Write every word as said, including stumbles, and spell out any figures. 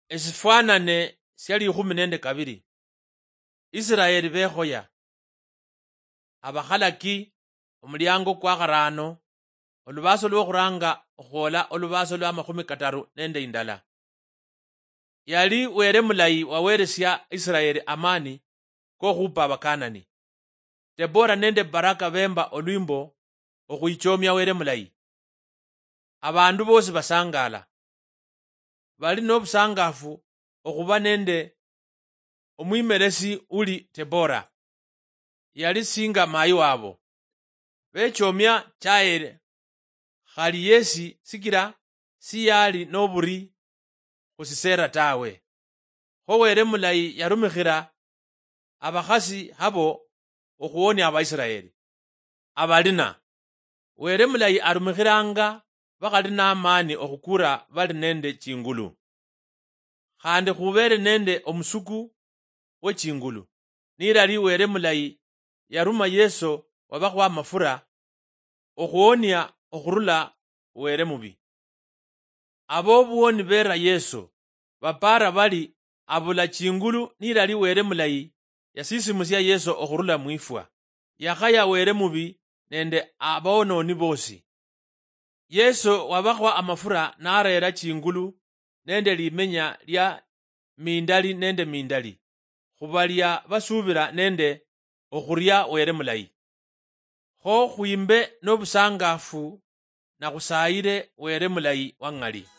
Esifwanane sia likhumi nende kabili. Israeli bekhoya. Abakhalaki, omuliango kwa kharaano, olubaaso lwokhuranga okhwola olubaaso lwa makhumi kataru nende indala. Yali Wele mulayi waweresia Israeli amani kokhupa Abakanani. Debora nende Baraka bemba olwimbo okhwichomia Wele mulayi. Abandu bosi basangala. Bali nobusangafu okhuba nende omwimeresi uli Debora. Yali singa mayi wabo. Bechomia Jael, khali yesi sikila siyali noburi khu Sisera tawe. Kho Wele mulayi yarumikhira abakhasi habo okhuwonia Abaisiraeli. Abalina. Wele mulayi arumikhiranga bakhali namani okhukura bali nende chingulu. Khandi khubele nende omusuku we chingulu. Nilali Wele mulayi yaruma Yeso wabakhwa amafura okhuwonia okhurula Wele mubi. Abobuwoni bera Yeso bapara bali abula chingulu nilali Wele mulayi yasisimusia Yeso okhurula mwifwa. Yakhaya Wele mubi nende abononi bosi. Yeso wabakhwa amafura narera chingulu nende limenya lia mindali nende mindali, khubalia basubila nende okhuria Wele mulayi. Kho khwimbe nobusangafu na khusayile Wele mulayi wa ng'ali.